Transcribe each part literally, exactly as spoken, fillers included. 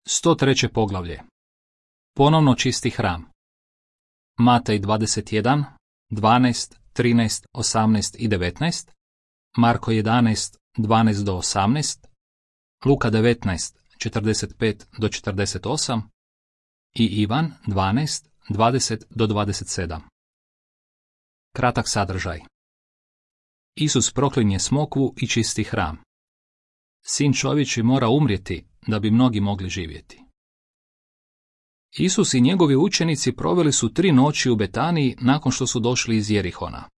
sto treće poglavlje. Ponovno čisti hram. Matej dvadeset jedan, dvanaest, trinaest, osamnaest i devetnaest, Marko jedanaest, dvanaest do osamnaest, Luka devetnaest, četrdeset pet do četrdeset osam i Ivan dvanaest, dvadeset do dvadeset sedam. Kratak sadržaj. Isus proklinje smokvu i čisti hram. Sin čovječji mora umrijeti da bi mnogi mogli živjeti. Isus i njegovi učenici proveli su tri noći u Betaniji nakon što su došli iz Jerihona.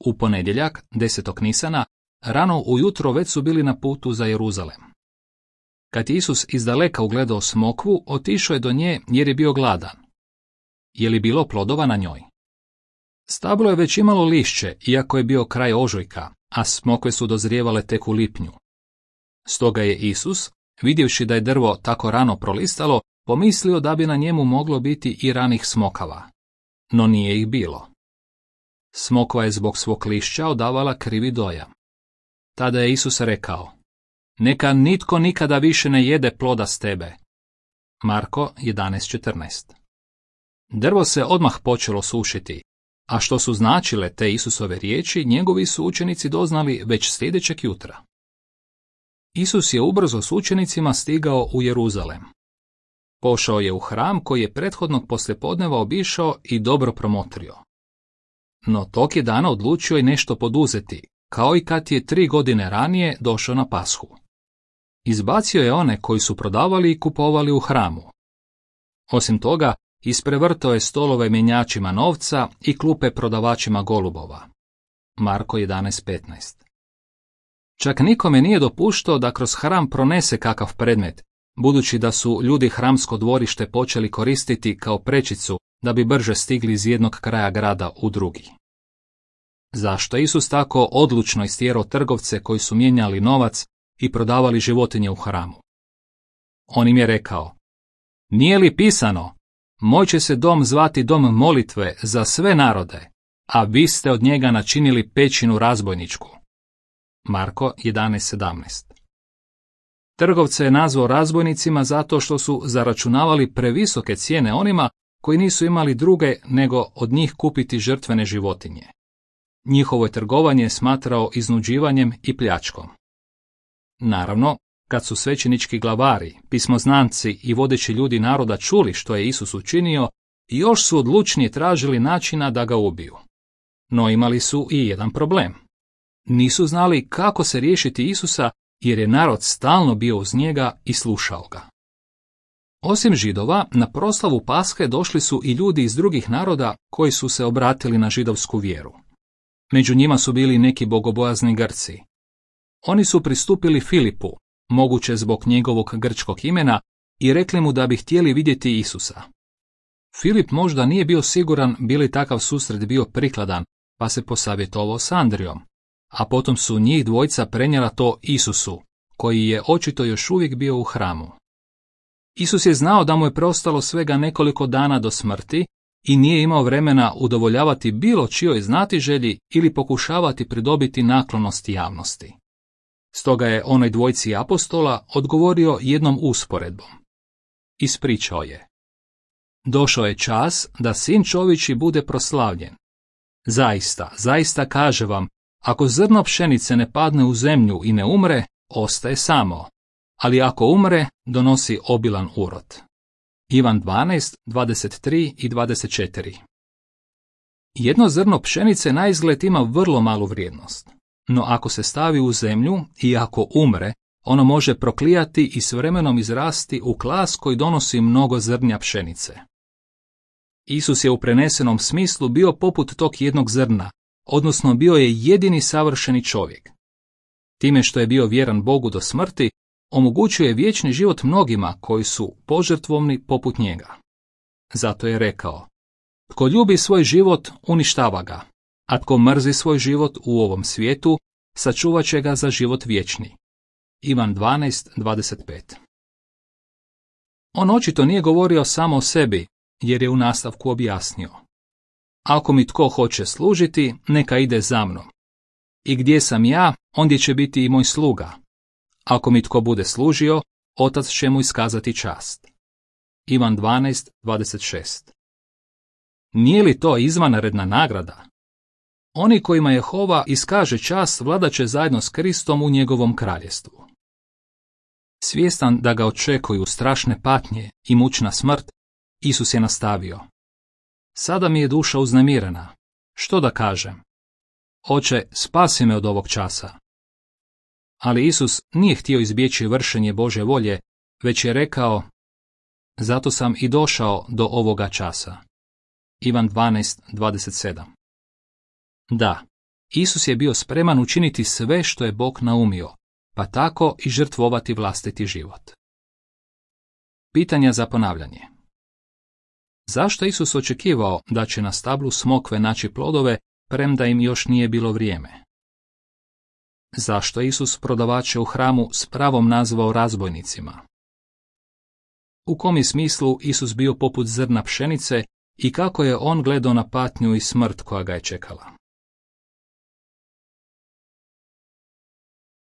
U ponedjeljak, desetog Nisana, rano ujutro već su bili na putu za Jeruzalem. Kad je Isus izdaleka ugledao smokvu, otišao je do nje jer je bio gladan. Je li bilo plodova na njoj? Stablo je već imalo lišće, iako je bio kraj ožujka, a smokve su dozrijevale tek u lipnju. Stoga je Isus, vidjevši da je drvo tako rano prolistalo, pomislio da bi na njemu moglo biti i ranih smokava. No nije ih bilo. Smokva je zbog svog lišća odavala krivi dojam. Tada je Isus rekao: neka nitko nikada više ne jede ploda s tebe. Marko jedanaest četrnaest. Drvo se odmah počelo sušiti, a što su značile te Isusove riječi, njegovi su učenici doznali već sljedećeg jutra. Isus je ubrzo s učenicima stigao u Jeruzalem. Pošao je u hram koji je prethodnog poslijepodneva obišao i dobro promotrio. No tog je dana odlučio i nešto poduzeti, kao i kad je tri godine ranije došao na Pashu. Izbacio je one koji su prodavali i kupovali u hramu. Osim toga, isprevrtao je stolove mjenjačima novca i klupe prodavačima golubova. Marko jedanaest petnaest. Čak nikome nije dopuštao da kroz hram pronese kakav predmet, budući da su ljudi hramsko dvorište počeli koristiti kao prečicu da bi brže stigli iz jednog kraja grada u drugi. Zašto je Isus tako odlučno istjerao trgovce koji su mijenjali novac i prodavali životinje u hramu? On im je rekao: nije li pisano, moj će se dom zvati dom molitve za sve narode, a vi ste od njega načinili pećinu razbojničku. Marko jedanaest sedamnaest. Trgovce je nazvao razbojnicima zato što su zaračunavali previsoke cijene onima koji nisu imali druge nego od njih kupiti žrtvene životinje. Njihovo je trgovanje smatrao iznuđivanjem i pljačkom. Naravno, kad su svećenički glavari, pismoznanci i vodeći ljudi naroda čuli što je Isus učinio, još su odlučnije tražili načina da ga ubiju. No imali su i jedan problem. Nisu znali kako se riješiti Isusa jer je narod stalno bio uz njega i slušao ga. Osim Židova, na proslavu Pashe došli su i ljudi iz drugih naroda koji su se obratili na židovsku vjeru. Među njima su bili neki bogobojazni Grci. Oni su pristupili Filipu, moguće zbog njegovog grčkog imena, i rekli mu da bi htjeli vidjeti Isusa. Filip možda nije bio siguran bi li takav susret bio prikladan, pa se posavjetovao s Andrijom, a potom su njih dvojica prenijela to Isusu, koji je očito još uvijek bio u hramu. Isus je znao da mu je preostalo svega nekoliko dana do smrti i nije imao vremena udovoljavati bilo čijoj znatiželji ili pokušavati pridobiti naklonost javnosti. Stoga je onoj dvojici apostola odgovorio jednom usporedbom. Ispričao je: došao je čas da sin čovječji bude proslavljen. Zaista, zaista kaže vam, ako zrno pšenice ne padne u zemlju i ne umre, ostaje samo, ali ako umre, donosi obilan urod. Ivan dvanaest, dvadeset tri i dvadeset četiri. Jedno zrno pšenice naizgled ima vrlo malu vrijednost, no ako se stavi u zemlju i ako umre, ono može proklijati i s vremenom izrasti u klas koji donosi mnogo zrnja pšenice. Isus je u prenesenom smislu bio poput tog jednog zrna, odnosno bio je jedini savršeni čovjek. Time što je bio vjeran Bogu do smrti, omogućuje vječni život mnogima koji su požrtvovni poput njega. Zato je rekao: tko ljubi svoj život, uništava ga, a tko mrzi svoj život u ovom svijetu, sačuvat će ga za život vječni. Ivan dvanaest, dvadeset pet. On očito nije govorio samo o sebi, jer je u nastavku objasnio: ako mi tko hoće služiti, neka ide za mnom. I gdje sam ja, ondje će biti i moj sluga. Ako mi tko bude služio, Otac će mu iskazati čast. Ivan dvanaest dvadeset šest. Nije li to izvanredna nagrada? Oni kojima Jehova iskaže čast vladat će zajedno s Kristom u njegovom kraljestvu. Svjestan da ga očekuju strašne patnje i mučna smrt, Isus je nastavio. Sada mi je duša uznemirena. Što da kažem? Oče, spasi me od ovog časa. Ali Isus nije htio izbjeći vršenje Božje volje, već je rekao, zato sam i došao do ovoga časa. Ivan dvanaest dvadeset sedam. Da, Isus je bio spreman učiniti sve što je Bog naumio, pa tako i žrtvovati vlastiti život. Pitanja za ponavljanje. Zašto Isus očekivao da će na stablu smokve naći plodove, premda im još nije bilo vrijeme? Zašto Isus prodavače u hramu s pravom nazvao razbojnicima? U kom je smislu Isus bio poput zrna pšenice i kako je on gledao na patnju i smrt koja ga je čekala?